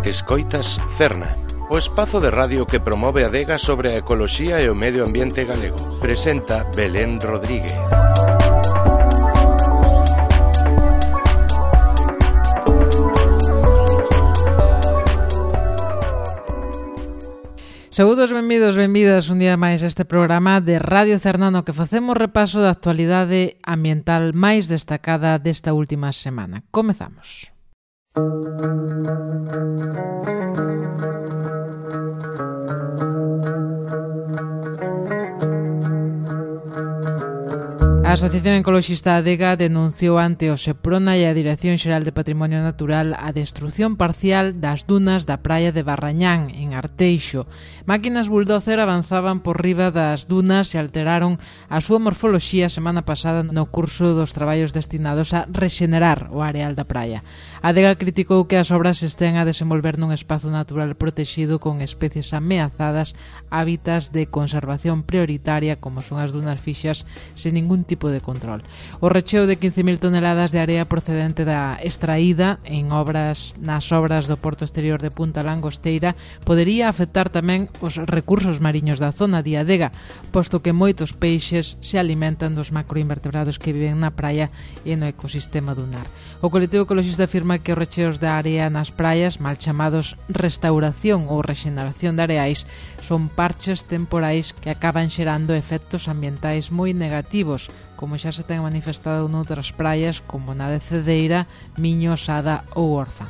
Escoitas Cerna, o espazo de radio que promove a adega sobre a ecoloxía e o medio ambiente galego. Presenta Belén Rodríguez. Saúdos, benvidos, benvidas un día máis a este programa de Radio Cerna no que facemos repaso da actualidade ambiental máis destacada desta última semana. Comezamos. A Asociación Ecoloxista Adega denunciou ante o Seprona e a Dirección Xeral de Patrimonio Natural a destrución parcial das dunas da praia de Barrañán, en Arteixo. Máquinas bulldozer avanzaban por riba das dunas e alteraron a súa morfoloxía semana pasada no curso dos traballos destinados a rexenerar o areal da praia. A Adega criticou que as obras estén a desenvolver nun espazo natural protexido con especies ameazadas, hábitats de conservación prioritaria como son as dunas fixas sen ningún tipo de control. O recheo de 15.000 toneladas de area procedente da extraída nas obras do Porto Exterior de Punta Langosteira podería afectar tamén os recursos mariños da zona de Adega, posto que moitos peixes se alimentan dos macroinvertebrados que viven na praia e no ecosistema dunar. O colectivo ecologista afirma que os recheos da area nas praias, mal chamados restauración ou rexeneración de areais, son parches temporais que acaban xerando efectos ambientais moi negativos, como xa se ten manifestado noutras praias como na de Cedeira, Miño, Sada ou Orzán.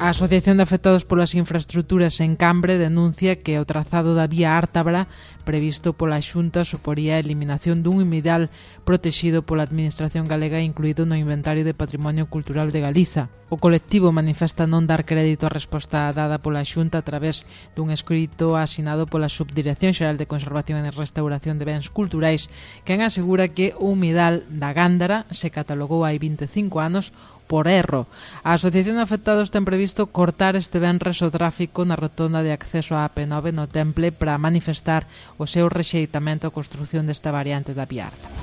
A Asociación de Afectados polas Infraestructuras en Cambre denuncia que o trazado da vía Ártabra previsto pola Xunta suporía a eliminación dun humidal protexido pola Administración galega incluído no Inventario de Patrimonio Cultural de Galiza. O colectivo manifesta non dar crédito á resposta dada pola Xunta a través dun escrito asinado pola Subdirección Xeral de Conservación e Restauración de Bens Culturais, quen asegura que o humidal da Gándara se catalogou hai 25 anos por erro. A Asociación de Afectados ten previsto cortar este venres o tráfico na rotonda de acceso á AP9 no Temple para manifestar o seu rexeitamento á construción desta variante da vía Ártabra.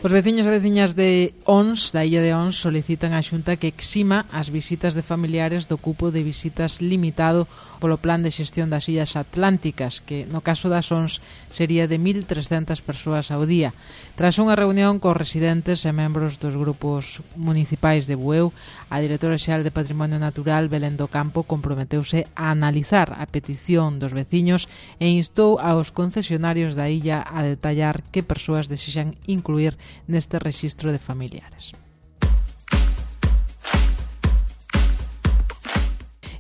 Os veciños e veciñas de Ons, da illa de Ons, solicitan á Xunta que exima as visitas de familiares do cupo de visitas limitado polo Plan de Xestión das Illas Atlánticas, que no caso das Ons sería de 1.300 persoas ao día. Tras unha reunión cos residentes e membros dos grupos municipais de Bueu, a directora xeral de Patrimonio Natural, Belén do Campo, comprometeuse a analizar a petición dos veciños e instou aos concesionarios da illa a detallar que persoas desexan incluir neste rexistro de familiares.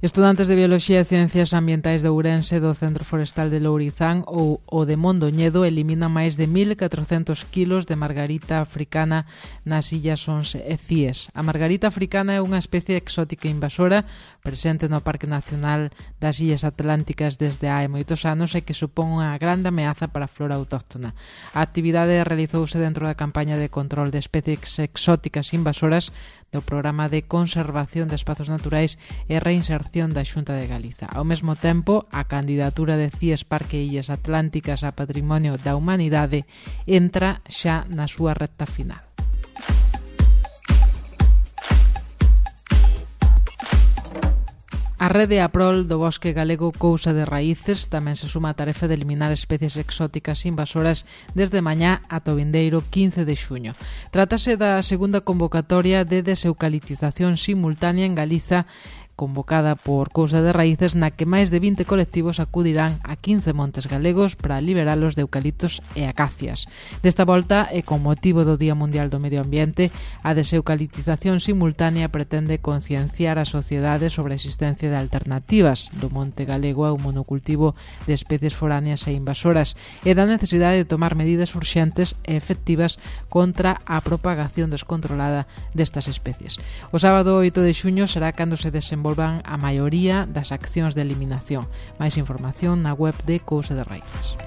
Estudantes de Bioloxía e Ciencias Ambientais de Ourense do Centro Forestal de Lourizán ou o de Mondoñedo eliminan máis de 1.400 kilos de margarita africana nas illas Ons e Cíes. A margarita africana é unha especie exótica invasora presente no Parque Nacional das Illas Atlánticas desde hai moitos anos e que supón unha grande ameaza para a flora autóctona. A actividade realizouse dentro da campaña de control de especies exóticas invasoras do Programa de Conservación de Espazos Naturais e Reinserción da Xunta de Galiza. Ao mesmo tempo, a candidatura de CIES Parque Illas Atlánticas a Patrimonio da Humanidade entra xa na súa recta final. A rede APROL do Bosque Galego Cousa de Raíces tamén se suma a tarefa de eliminar especies exóticas invasoras desde mañá ata o vindeiro 15 de xuño. Trátase da segunda convocatoria de deseucaliptización simultánea en Galiza convocada por Cousa de Raíces, na que máis de 20 colectivos acudirán a 15 montes galegos para liberalos de eucaliptos e acacias. Desta volta, e con motivo do Día Mundial do Medio Ambiente, a deseucaliptización simultánea pretende concienciar a sociedade sobre a existencia de alternativas do monte galego ao monocultivo de especies foráneas e invasoras e da necesidade de tomar medidas urxentes e efectivas contra a propagación descontrolada destas especies. O sábado 8 de xuño será cando se desenvolverá a maioría das accións de eliminación. Máis información na web de Cousa de Raíces.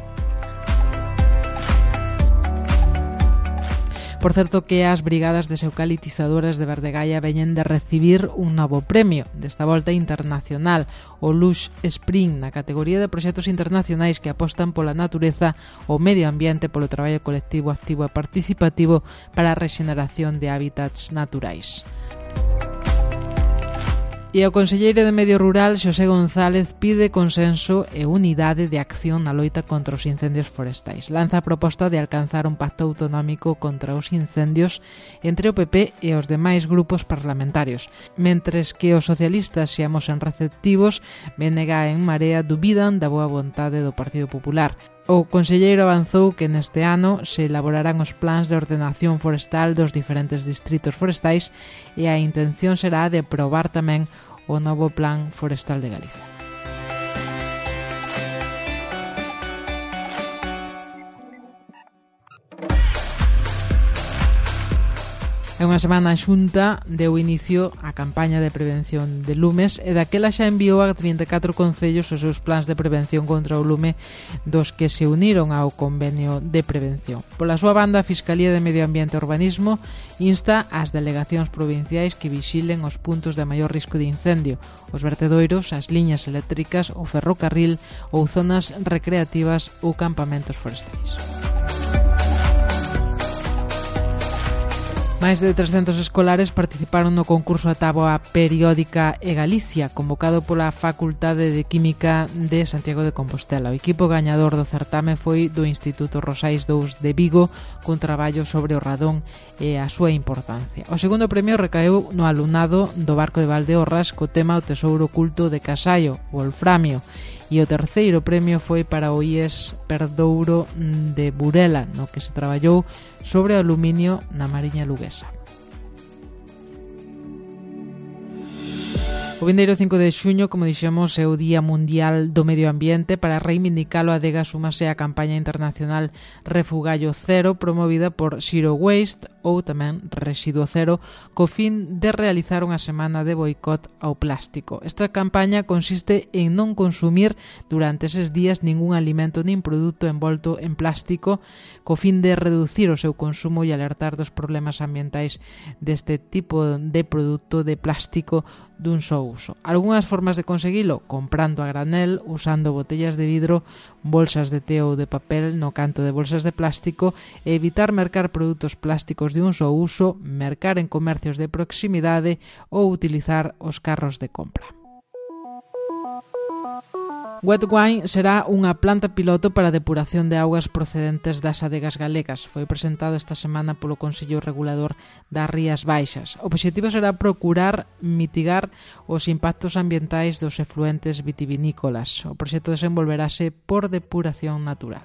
Por certo que as brigadas deseucalitizadoras de Verdegaia veñen de recibir un novo premio, desta volta internacional, o Lush Spring, na categoría de proxectos internacionais que apostan pola natureza, o medio ambiente, polo traballo colectivo, activo e participativo para a rexeneración de hábitats naturais. E o conselleiro de Medio Rural, Xosé González, pide consenso e unidade de acción na loita contra os incendios forestais. Lanza a proposta de alcanzar un pacto autonómico contra os incendios entre o PP e os demais grupos parlamentarios. Mentres que os socialistas seamos receptivos, BNG e En Marea dubidan da boa vontade do Partido Popular. O conselleiro avanzou que neste ano se elaborarán os plans de ordenación forestal dos diferentes distritos forestais e a intención será de aprobar tamén o novo Plan Forestal de Galicia. É unha semana a Xunta deu inicio á campaña de prevención de lumes e daquela xa enviou a 34 concellos os seus plans de prevención contra o lume dos que se uniron ao convenio de prevención. Pola súa banda, a Fiscalía de Medio Ambiente e Urbanismo insta ás delegacións provinciais que vixilen os puntos de maior risco de incendio, os vertedoiros, as liñas eléctricas, o ferrocarril ou zonas recreativas ou campamentos forestais. Máis de 300 escolares participaron no concurso A Táboa Periódica e Galicia, convocado pola Facultade de Química de Santiago de Compostela. O equipo gañador do certame foi do Instituto Rosais II de Vigo, cun traballo sobre o radón e a súa importancia. O segundo premio recaeu no alumnado do Barco de Valdeorras co tema O Tesouro Oculto de Casallo, o Wolframio, e o terceiro premio foi para o IES Perdouro de Burela, no que se traballou sobre o aluminio na Mariña Luguesa. O vindeiro 5 de xuño, como dixemos, é o Día Mundial do Medio Ambiente. Para reivindicalo, a Adega súmase á campaña internacional Refugallo Cero, promovida por Zero Waste, ou tamén Residuo Cero, co fin de realizar unha semana de boicot ao plástico. Esta campaña consiste en non consumir durante eses días ningún alimento nin produto envolto en plástico, co fin de reducir o seu consumo e alertar dos problemas ambientais deste tipo de produto de plástico dun só uso. Algúnas formas de conseguilo: comprando a granel, usando botellas de vidro, bolsas de té ou de papel no canto de bolsas de plástico, e evitar mercar produtos plásticos de un só uso, mercar en comercios de proximidade ou utilizar os carros de compra. Wet Wine será unha planta piloto para a depuración de augas procedentes das adegas galegas. Foi presentado esta semana polo Consello Regulador das Rías Baixas. O obxectivo será procurar mitigar os impactos ambientais dos efluentes vitivinícolas. O proxecto desenvolverase por depuración natural.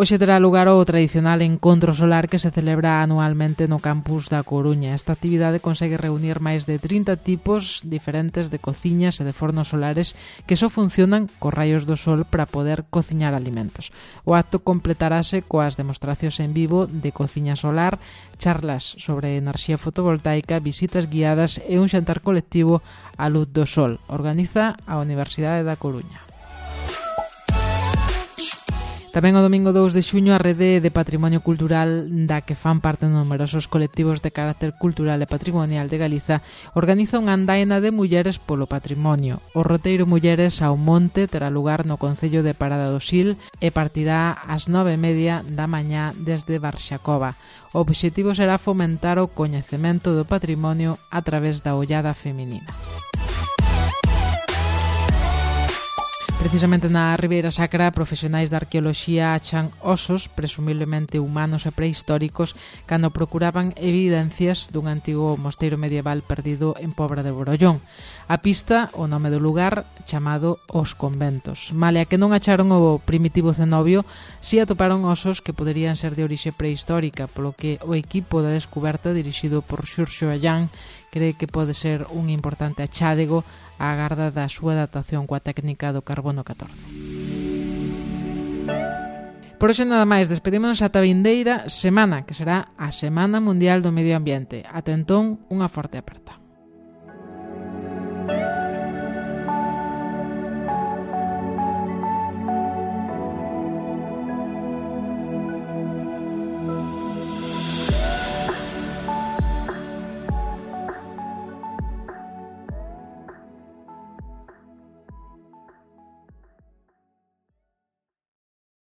Hoxe terá lugar o tradicional encontro solar que se celebra anualmente no campus da Coruña. Esta actividade consegue reunir máis de 30 tipos diferentes de cociñas e de fornos solares que só funcionan cos raios do sol para poder cociñar alimentos. O acto completarase coas demostracións en vivo de cociña solar, charlas sobre enerxía fotovoltaica, visitas guiadas e un xantar colectivo á luz do sol. Organiza a Universidade da Coruña. Tamén o domingo 2 de xuño a Rede de Patrimonio Cultural, da que fan parte numerosos colectivos de carácter cultural e patrimonial de Galiza, organiza unha andaina de mulleres polo patrimonio. O roteiro Mulleres ao Monte terá lugar no concello de Parada do Sil e partirá ás 9:30 da mañá desde Barxacova. O obxectivo será fomentar o coñecemento do patrimonio a través da ollada feminina. Precisamente na Ribeira Sacra, profesionais da arqueoloxía achan osos, presumiblemente humanos e prehistóricos, cando procuraban evidencias dun antigo mosteiro medieval perdido en Pobra de Borollón. A pista, o nome do lugar, chamado Os Conventos. Malia que non acharon o primitivo cenobio, si atoparon osos que poderían ser de orixe prehistórica, polo que o equipo da descuberta, dirixido por Xurxo Allán, cree que pode ser un importante achádego á garda da súa datación coa técnica do carbono 14. Por hoxe nada máis, despedímonos ata a vindeira semana, que será a Semana Mundial do Medio Ambiente. Ata entón, unha forte aperta.